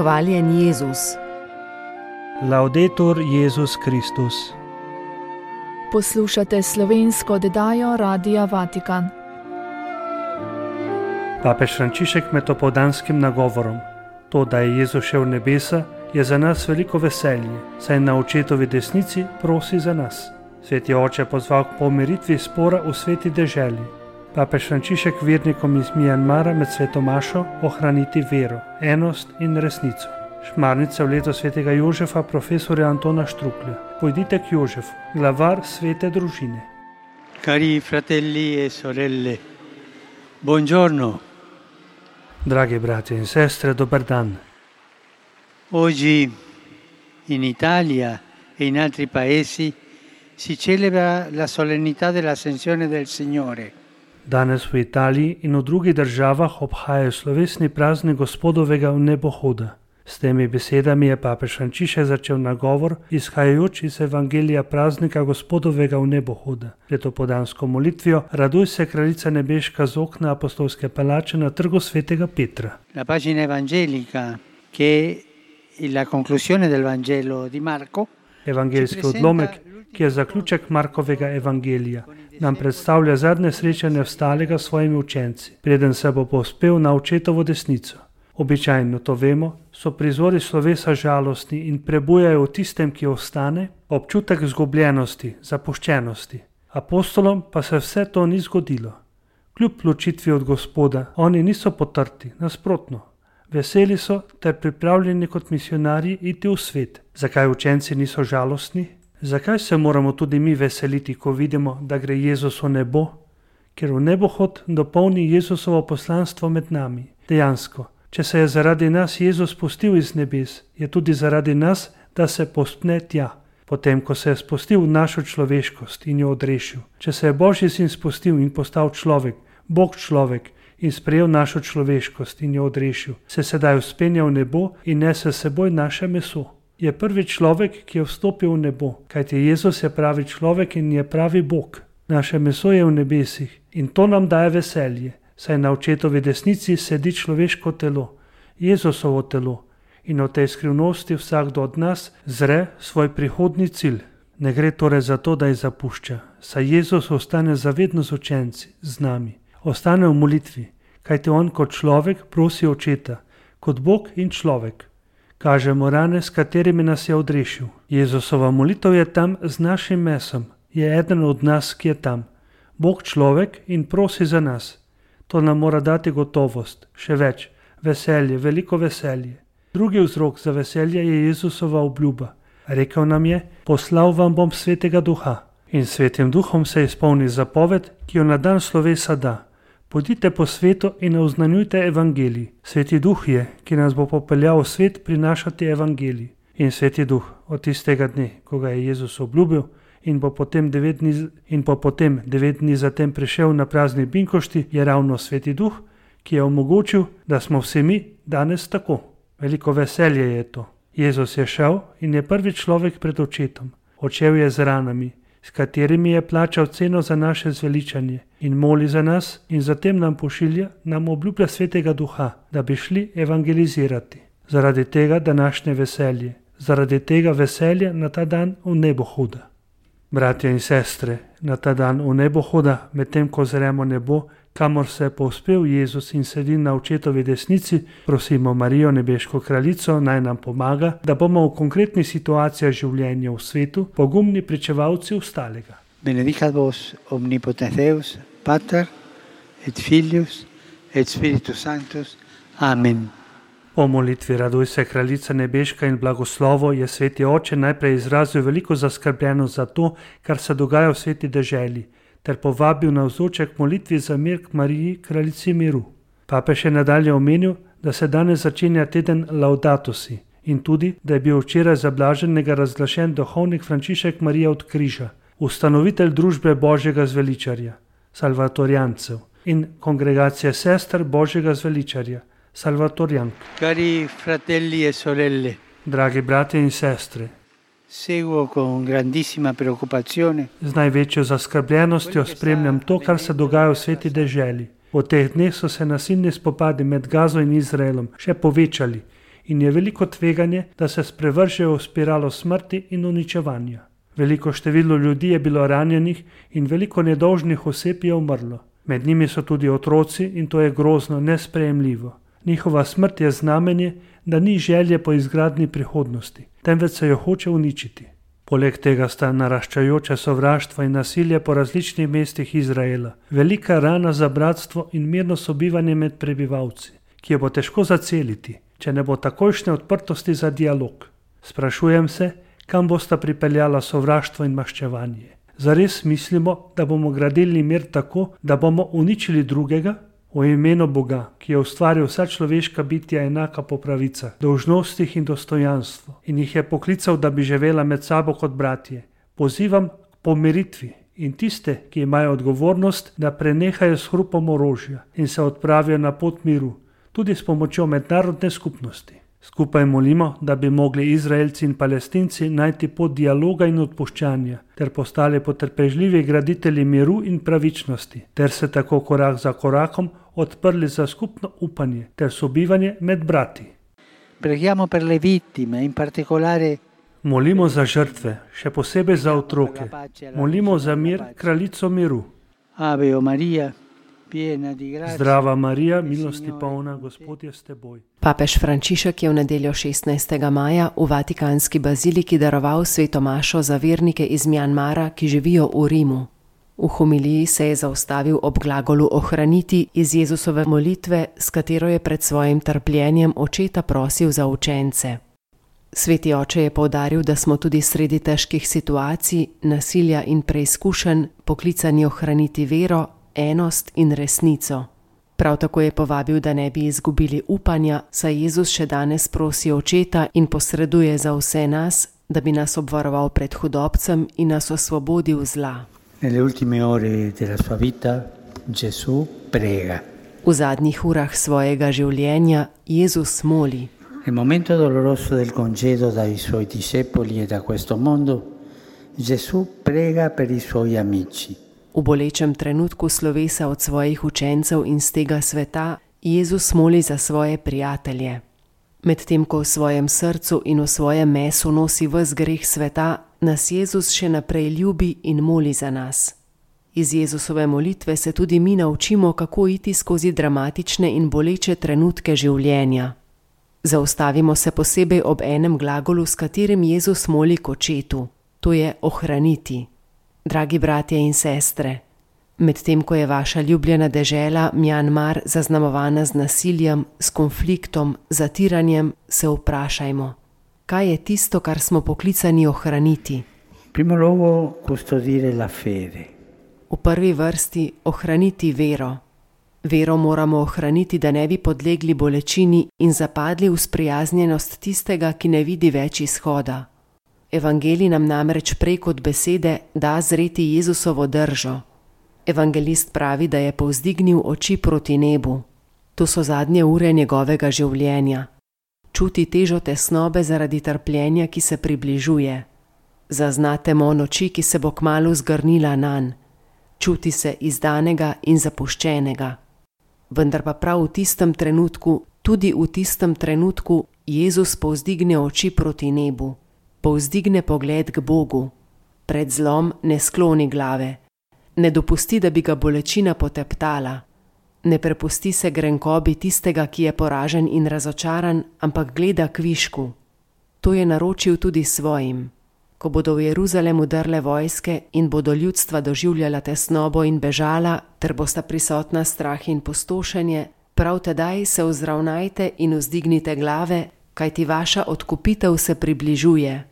Hvaljen Jezus. Laudetur Jezus Kristus. Poslušate slovensko oddajo Radia Vatikan. Papež Frančišek med opoldanskim nagovorom. To, da je Jezus šel v nebesa, je za nas veliko veselje, saj na očetovi desnici prosi za nas. Sveti oče pozval k pomiritvi spora v sveti deželi. Papež Frančišek vernikom iz Mjanmara med sveto mašo ohraniti vero, enost in resnico. Šmarnica v leto svetega Jožefa profesorja Antona Štruklja. Pojdite k Jožefu, glavar svete družine. Cari fratelli e sorelle, buongiorno. Dragi bratje in sestre, dober dan. Oggi in Italia e in altri paesi si celebra la solennità dell'Ascensione del Signore. Danes v Italiji in v drugih državah obhajajo slovesni praznik Gospodovega vnebohoda. S temi besedami je papež Frančišek začel nagovor, izhajajoč iz evangelija praznika Gospodovega vnebohoda. Pred opoldansko molitvijo Raduj se, kraljica nebeška, z okna apostolske palače na trgu svetega Petra. La pagina evangelica, che è la conclusione del Vangelo di Marco, Evangeljski odlomek, ki je zaključek Markovega evangelija, nam predstavlja zadnje srečanje vstalega s svojimi učenci, preden se bo povzpel na očetovo desnico. Običajno, to vemo, so prizori slovesa žalostni in prebujajo v tistem, ki ostane, občutek izgubljenosti, zapuščenosti. Apostolom pa se vse to ni zgodilo. Kljub ločitvi od Gospoda, oni niso potrti, nasprotno. Veseli so ter pripravljeni kot misionarji iti v svet. Zakaj učenci niso žalostni? Zakaj se moramo tudi mi veseliti, ko vidimo, da gre Jezus v nebo? Ker v nebohod dopolni Jezusovo poslanstvo med nami. Dejansko, če se je zaradi nas Jezus spustil iz nebes, je tudi zaradi nas, da se povzpne tja. Potem, ko se je spustil v našo človeškost in jo odrešil. Če se je Božji sin spustil in postal človek, Bog človek, in sprejel našo človeškost in jo odrešil, se sedaj vzpenja v nebo in nese s seboj naše meso. Je prvi človek, ki je vstopil v nebo, kajti Jezus je pravi človek in je pravi Bog. Naše meso je v nebesih in to nam daje veselje, saj na očetovi desnici sedi človeško telo, Jezusovo telo, in v tej skrivnosti vsakdo od nas zre svoj prihodni cilj. Ne gre torej za to, da jih zapušča, saj Jezus ostane zavedno z učenci, z nami. Ostane v molitvi, kajti on kot človek prosi očeta, kot Bog in človek. Kažemo rane, s katerimi nas je odrešil. Jezusova molitev je tam z našim mesom, je eden od nas, ki je tam. Bog človek in prosi za nas. To nam mora dati gotovost, še več, veselje, veliko veselje. Drugi vzrok za veselje je Jezusova obljuba. Rekel nam je, poslal vam bom svetega duha. In svetim duhom se izpolni zapoved, ki jo na dan slovesa da. Pojdite po svetu in oznanjujte evangelij. Sveti duh je, ki nas bo popeljal v svet prinašati evangelij. In sveti duh od tistega dne, ko ga je Jezus obljubil in po potem 9 dni zatem prišel na prazni binkošti, je ravno sveti duh, ki je omogočil, da smo vsi mi danes tako. Veliko veselje je to. Jezus je šel in je prvi človek pred očetom. Odšel je z ranami, s katerimi je plačal ceno za naše zveličanje in moli za nas in zatem nam obljublja svetega duha, da bi šli evangelizirati. Zaradi tega današnje veselje, zaradi tega veselja na ta dan v nebohoda. Bratje in sestre, na ta dan v nebohoda, medtem ko zremo nebo, kamor se je povzpel Jezus in sedi na očetovi desnici, prosimo Marijo, nebeško kraljico, naj nam pomaga, da bomo v konkretnih situacijah življenja v svetu pogumni pričevalci vstalega. Benedicat vos omnipotens Deus, Pater et Filius et Spiritus Sanctus. Amen. Po molitvi Raduj se, kraljica nebeška in blagoslovo je sveti oče najprej izrazil veliko zaskrbljenost za to, kar se dogaja v sveti deželi, ter povabil navzoče k molitvi za mir k Mariji, kraljici miru. Papež je nadalje omenil, da se danes začenja teden Laudato si in tudi, da je bil včeraj za blaženega razglašen duhovnik Frančišek Marija od križa, ustanovitelj družbe Božjega zveličarja, salvatorijancev, in kongregacije sester Božjega zveličarja, salvatorijank. Cari fratelli e sorelle, dragi bratje in sestre, seguo con grandissima preoccupazione. Z največjo zaskrbljenostjo spremljam to, kar se dogaja v sveti deželi. V teh dneh so se nasilni spopadi med Gazo in Izraelom še povečali in je veliko tveganje, da se sprevržejo v spiralo smrti in uničevanja. Veliko število ljudi je bilo ranjenih in veliko nedolžnih oseb je umrlo. Med njimi so tudi otroci in to je grozno, nesprejemljivo. Njihova smrt je znamenje, da ni želje po izgradnji prihodnosti, temveč se jo hoče uničiti. Poleg tega sta naraščajoče sovraštvo in nasilje po različnih mestih Izraela, velika rana za bratstvo in mirno sobivanje med prebivalci, ki jo bo težko zaceliti, če ne bo takojšnje odprtosti za dialog. Sprašujem se, kam bosta pripeljala sovraštvo in maščevanje. Zares mislimo, da bomo gradili mir tako, da bomo uničili drugega? V imenu Boga, ki je ustvaril vsa človeška bitja enaka po pravicah, dolžnostih in dostojanstvu in jih je poklical, da bi živela med sabo kot bratje, pozivam k pomiritvi in tiste, ki imajo odgovornost, da prenehajo s hrupom orožja in se odpravijo na pot miru, tudi s pomočjo mednarodne skupnosti. Skupaj molimo, da bi mogli Izraelci in Palestinci najti pot dialoga in odpuščanja, ter postali potrpežljivi graditelji miru in pravičnosti, ter se tako korak za korakom odprli za skupno upanje ter sobivanje med brati. Preghiamo per le vittime, in particolare. Molimo za žrtve, še posebej za otroke. Molimo za mir, kraljico miru. Ave o Maria. Zdrava Marija, milosti polna, Gospod je s teboj. Papež Frančišek je v nedeljo 16. maja v Vatikanski baziliki daroval sveto mašo za vernike iz Mjanmara, ki živijo v Rimu. V homiliji se je zaustavil ob glagolu ohraniti iz Jezusove molitve, s katero je pred svojim trpljenjem očeta prosil za učence. Sveti oče je poudaril, da smo tudi sredi težkih situacij, nasilja in preizkušenj poklicani ohraniti vero, enost in resnico. Prav tako je povabil, da ne bi izgubili upanja, saj Jezus še danes prosi očeta in posreduje za vse nas, da bi nas obvaroval pred hudobcem in nas osvobodil zla. Nelle ultime ore della sua vita Gesù prega. V zadnjih urah svojega življenja Jezus moli. Nel momento doloroso del congedo dai suoi discepoli e da questo mondo, Gesù prega per i suoi amici. V bolečem trenutku slovesa od svojih učencev in z tega sveta Jezus moli za svoje prijatelje. Medtem ko v svojem srcu in v svojem mesu nosi ves greh sveta, nas Jezus še naprej ljubi in moli za nas. Iz Jezusove molitve se tudi mi naučimo, kako iti skozi dramatične in boleče trenutke življenja. Zaustavimo se posebej ob enem glagolu, s katerim Jezus moli k očetu, to je ohraniti. Dragi bratje in sestre, medtem ko je vaša ljubljena dežela Mjanmar zaznamovana z nasiljem, s konfliktom, zatiranjem, se vprašajmo, kaj je tisto, kar smo poklicani ohraniti? Primo luogo custodire la fede. V prvi vrsti ohraniti vero. Vero moramo ohraniti, da ne bi podlegli bolečini in zapadli v sprijaznjenost tistega, ki ne vidi več izhoda. Evangelij nam namreč prej kot besede da zreti Jezusovo držo. Evangelist pravi, da je povzdignil oči proti nebu. To so zadnje ure njegovega življenja. Čuti težo tesnobe zaradi trpljenja, ki se približuje. Zazna temo noči, ki se bo kmalu zgrnila nanj. Čuti se izdanega in zapuščenega. Vendar pa prav v tistem trenutku, tudi v tistem trenutku, Jezus povzdigne oči proti nebu. Povzdigne pogled k Bogu. Pred zlom ne skloni glave. Ne dopusti, da bi ga bolečina poteptala. Ne prepusti se grenkobi tistega, ki je poražen in razočaran, ampak gleda k višku. To je naročil tudi svojim. Ko bodo v Jeruzalemu drle vojske in bodo ljudstva doživljala tesnobo in bežala, ter bosta prisotna strah in pustošenje, prav tedaj se vzravnajte in vzdignite glave, kajti vaša odkupitev se približuje.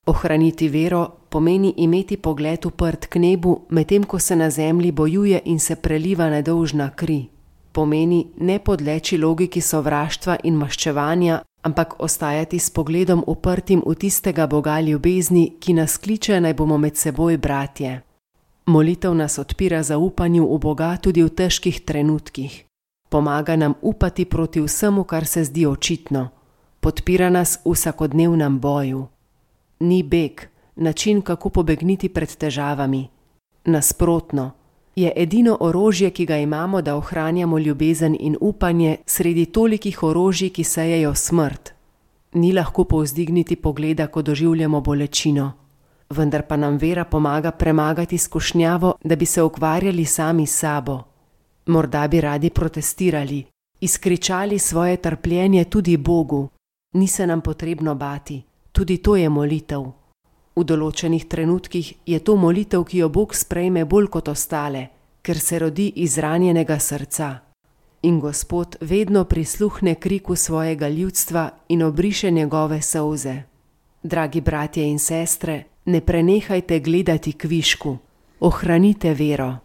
Ohraniti vero pomeni imeti pogled uprt k nebu, medtem ko se na zemlji bojuje in se preliva nedolžna kri. Pomeni ne podleči logiki sovraštva in maščevanja, ampak ostajati s pogledom uprtim v tistega Boga ljubezni, ki nas kliče, naj bomo med seboj bratje. Molitev nas odpira zaupanju v Boga tudi v težkih trenutkih. Pomaga nam upati proti vsemu, kar se zdi očitno. Podpira nas v vsakodnevnem boju. Ni beg, način, kako pobegniti pred težavami. Nasprotno, je edino orožje, ki ga imamo, da ohranjamo ljubezen in upanje sredi tolikih orožij, ki sejejo smrt. Ni lahko povzdigniti pogleda, ko doživljamo bolečino, vendar pa nam vera pomaga premagati skušnjavo, da bi se ukvarjali sami s sabo. Morda bi radi protestirali, izkričali svoje trpljenje tudi Bogu. Ni se nam potrebno bati, tudi to je molitev. V določenih trenutkih je to molitev, ki jo Bog sprejme bolj kot ostale, ker se rodi iz ranjenega srca. In Gospod vedno prisluhne kriku svojega ljudstva in obriše njegove solze. Dragi bratje in sestre, ne prenehajte gledati kvišku, ohranite vero.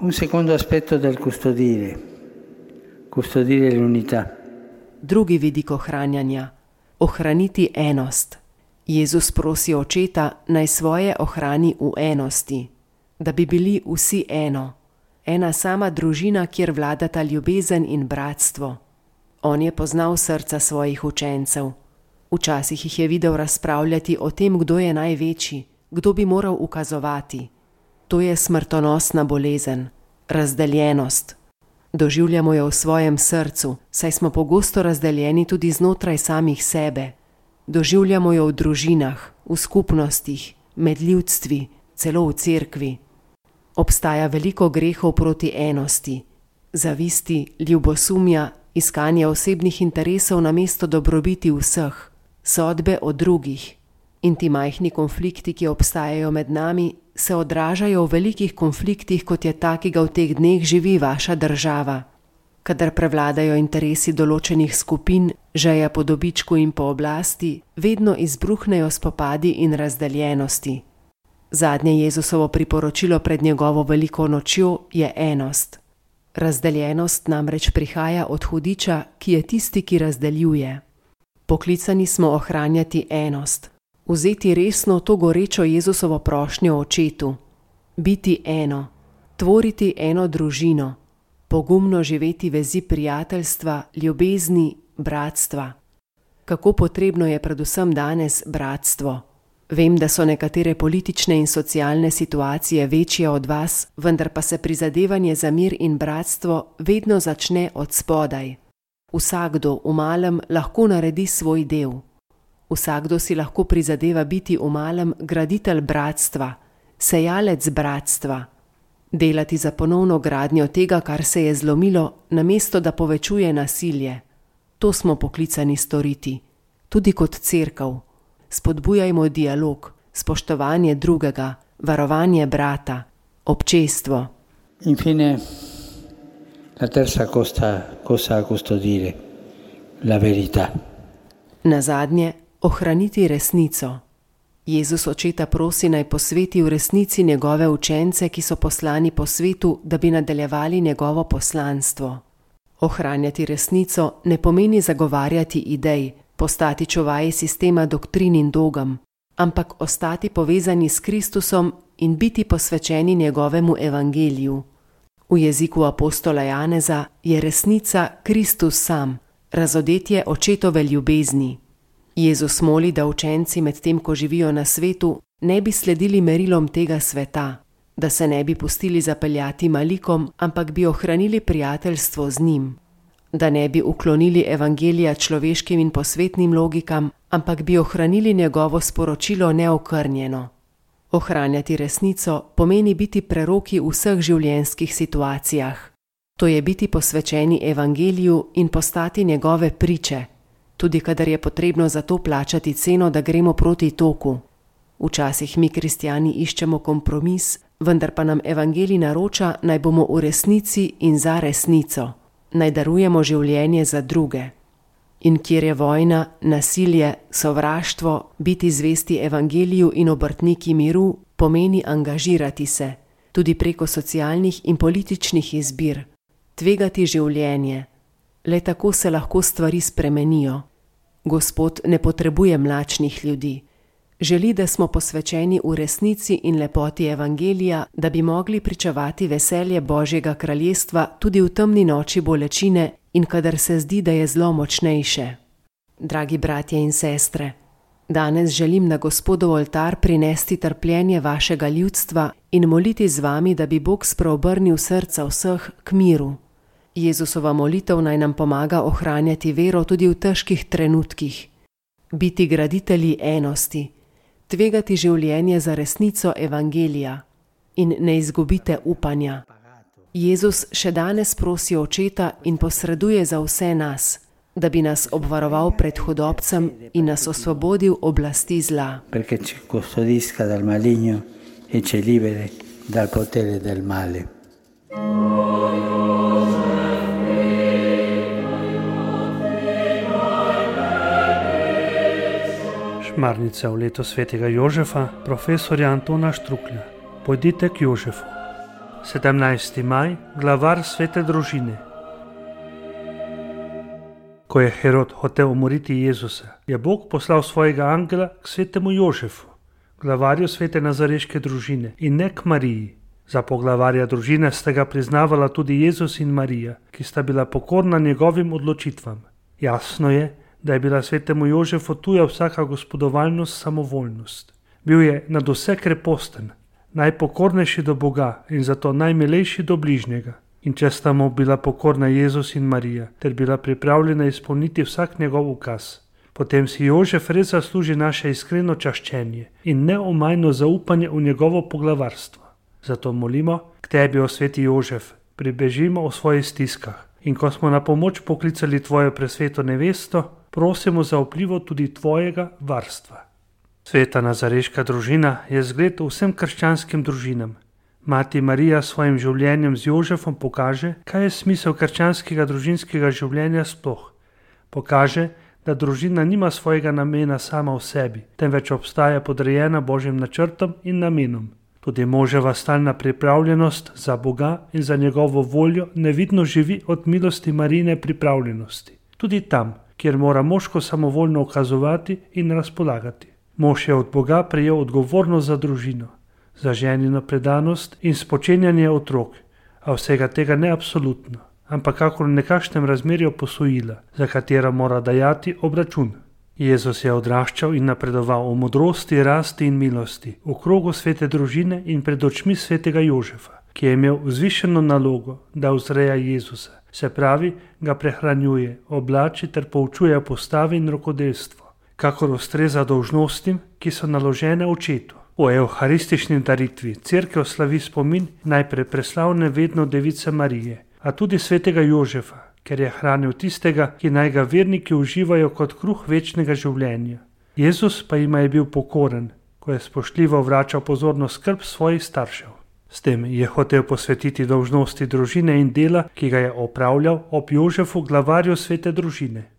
Un secondo aspetto del custodire l'unità. Drugi vidik ohranjanja, ohraniti enost. Jezus prosi Očeta, naj svoje ohrani v enosti, da bi bili vsi eno. Ena sama družina, kjer vladata ljubezen in bratstvo. On je poznal srca svojih učencev. Včasih jih je videl razpravljati o tem, kdo je največji, kdo bi moral ukazovati. To je smrtonosna bolezen, razdeljenost. Doživljamo jo v svojem srcu, saj smo pogosto razdeljeni tudi znotraj samih sebe. Doživljamo jo v družinah, v skupnostih, med ljudstvi, celo v cerkvi. Obstaja veliko grehov proti enosti, zavisti, ljubosumja, iskanje osebnih interesov namesto dobrobiti vseh, sodbe o drugih. In ti majhni konflikti, ki obstajajo med nami, se odražajo v velikih konfliktih, kot je ta, ki ga v teh dneh živi vaša država. Kadar prevladajo interesi določenih skupin, žeja po dobičku in po oblasti, vedno izbruhnejo spopadi in razdeljenosti. Zadnje Jezusovo priporočilo pred njegovo veliko nočjo je enost. Razdeljenost namreč prihaja od hudiča, ki je tisti, ki razdeljuje. Poklicani smo ohranjati enost, vzeti resno to gorečo Jezusovo prošnjo Očetu, biti eno, tvoriti eno družino, pogumno živeti vezi prijateljstva, ljubezni, bratstva. Kako potrebno je predvsem danes bratstvo. Vem, da so nekatere politične in socialne situacije večje od vas, vendar pa se prizadevanje za mir in bratstvo vedno začne od spodaj. Vsakdo v malem lahko naredi svoj del. Vsakdo si lahko prizadeva biti v malem graditelj bratstva, sejalec bratstva. Delati za ponovno gradnjo tega, kar se je zlomilo, namesto da povečuje nasilje. To smo poklicani storiti, tudi kot cerkev. Spodbujajmo dialog, spoštovanje drugega, varovanje brata, občestvo. Infine, la terza cosa a custodire, la verità. Nazadnje, ohraniti resnico. Jezus Očeta prosi, naj posveti v resnici njegove učence, ki so poslani po svetu, da bi nadaljevali njegovo poslanstvo. Ohranjati resnico ne pomeni zagovarjati idej, postati čuvaji sistema doktrin in dogem, ampak ostati povezani s Kristusom in biti posvečeni njegovemu evangeliju. V jeziku apostola Janeza je resnica Kristus sam, razodetje Očetove ljubezni. Jezus moli, da učenci med tem, ko živijo na svetu, ne bi sledili merilom tega sveta, da se ne bi pustili zapeljati malikom, ampak bi ohranili prijateljstvo z njim. Da ne bi uklonili evangelija človeškim in posvetnim logikam, ampak bi ohranili njegovo sporočilo neokrnjeno. Ohranjati resnico pomeni biti preroki v vseh življenjskih situacijah. To je biti posvečeni evangeliju in postati njegove priče, tudi kadar je potrebno za to plačati ceno, da gremo proti toku. Včasih mi kristjani iščemo kompromis, vendar pa nam evangelij naroča, naj bomo v resnici in za resnico. Naj darujemo življenje za druge. In kjer je vojna, nasilje, sovraštvo, biti zvesti evangeliju in obrtniki miru, pomeni angažirati se, tudi preko socialnih in političnih izbir, tvegati življenje. Le tako se lahko stvari spremenijo. Gospod ne potrebuje mlačnih ljudi. Želi, da smo posvečeni v resnici in lepoti evangelija, da bi mogli pričevati veselje Božjega kraljestva tudi v temni noči bolečine in kadar se zdi, da je zlo močnejše. Dragi bratje in sestre, danes želim na Gospodov oltar prinesti trpljenje vašega ljudstva in moliti z vami, da bi Bog spreobrnil srca vseh k miru. Jezusova molitev naj nam pomaga ohranjati vero tudi v težkih trenutkih. biti graditelji enosti, tvegati življenje za resnico evangelija in ne izgubite upanja. Jezus še danes prosi Očeta in posreduje za vse nas, da bi nas obvaroval pred hudobcem in nas osvobodil oblasti zla. Perché ci custodisca dal maligno e ci liberi dal potere del male. Šmarnica v leto svetega Jožefa, profesorja Antona Štruklja. Pojdite k Jožefu. 17. maj, glavar svete družine. Ko je Herod hotel umoriti Jezusa, je Bog poslal svojega angela k svetemu Jožefu, glavarju svete nazareške družine in ne k Mariji. Za poglavarja družine sta ga priznavala tudi Jezus in Marija, ki sta bila pokorna njegovim odločitvam. Jasno je, da je bila svetemu Jožefu tuja vsaka gospodovalnost, samovoljnost. Bil je nad vse kreposten, najpokornejši do Boga in zato najmilejši do bližnjega. In če sta mu bila pokorna Jezus in Marija, ter bila pripravljena izpolniti vsak njegov ukaz, potem si Jožef res zasluži naše iskreno čaščenje in neomajno zaupanje v njegovo poglavarstvo. Zato molimo k tebi, o sveti Jožef, pribežimo o svojih stiskah in ko smo na pomoč poklicali tvojo presveto nevesto, prosimo za vplivo tudi tvojega varstva. Sveta nazareška družina je zgled vsem krščanskim družinam. Mati Marija s svojim življenjem z Jožefom pokaže, kaj je smisel krščanskega družinskega življenja sploh. Pokaže, da družina nima svojega namena sama v sebi, temveč obstaja podrejena Božjim načrtom in namenom. Tudi moževa stalna pripravljenost za Boga in za njegovo voljo nevidno živi od milosti Marijine pripravljenosti. Tudi tam, kjer mora moško samovoljno ukazovati in razpolagati. Mož je od Boga prejel odgovornost za družino, za ženino predanost in spočenjanje otrok, a vsega tega ne absolutno, ampak kakor v nekakšnem razmerju posojila, za katera mora dajati obračun. Jezus je odraščal in napredoval v modrosti, rasti in milosti, v krogu svete družine in pred očmi svetega Jožefa, ki je imel vzvišeno nalogo, da vzreja Jezusa, se pravi, ga prehranjuje, oblači ter poučuje postavi in rokodelstvo, kakor ustreza dolžnostim, ki so naložene očetu. V evharistični daritvi cerkev slavi spomin najprej preslavne vedno device Marije, a tudi svetega Jožefa, ker je hranil tistega, ki naj ga verniki uživajo kot kruh večnega življenja. Jezus pa jima je bil pokoren, ko je spoštljivo vračal pozornost skrb svojih staršev. S tem je hotel posvetiti dolžnosti družine in dela, ki ga je opravljal ob Jožefu, glavarju svete družine.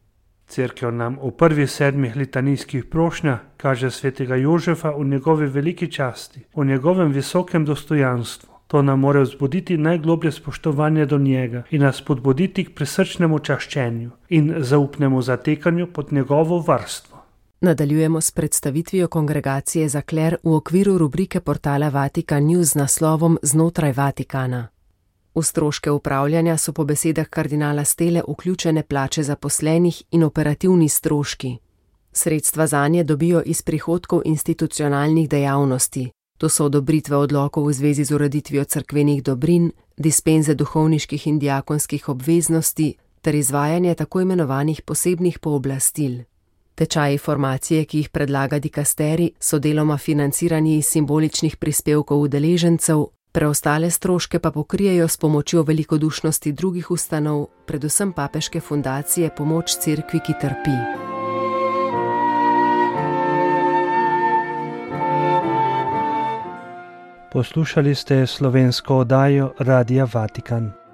Cerkev nam v prvih 7 litanijskih prošnjah kaže svetega Jožefa v njegovi veliki časti, v njegovem visokem dostojanstvu. To nam mora vzbuditi najgloblje spoštovanje do njega in nas spodbuditi k prisrčnemu čaščenju in zaupnemu zatekanju pod njegovo varstvo. Nadaljujemo s predstavitvijo kongregacije za kler v okviru rubrike portala Vatikan News z naslovom Znotraj Vatikana. V stroške upravljanja so po besedah kardinala Stele vključene plače zaposlenih in operativni stroški. Sredstva zanje dobijo iz prihodkov institucionalnih dejavnosti. To so odobritve odlokov v zvezi z ureditvijo cerkvenih dobrin, dispenze duhovniških in diakonskih obveznosti ter izvajanje tako imenovanih posebnih pooblastil. Tečaji formacije, ki jih predlaga dikasteri, so deloma financirani iz simboličnih prispevkov udeležencev, preostale stroške pa pokrijejo s pomočjo velikodušnosti drugih ustanov, predvsem papeške fundacije Pomoč cerkvi, ki trpi. Poslušali ste slovensko oddajo Radia Vatikan.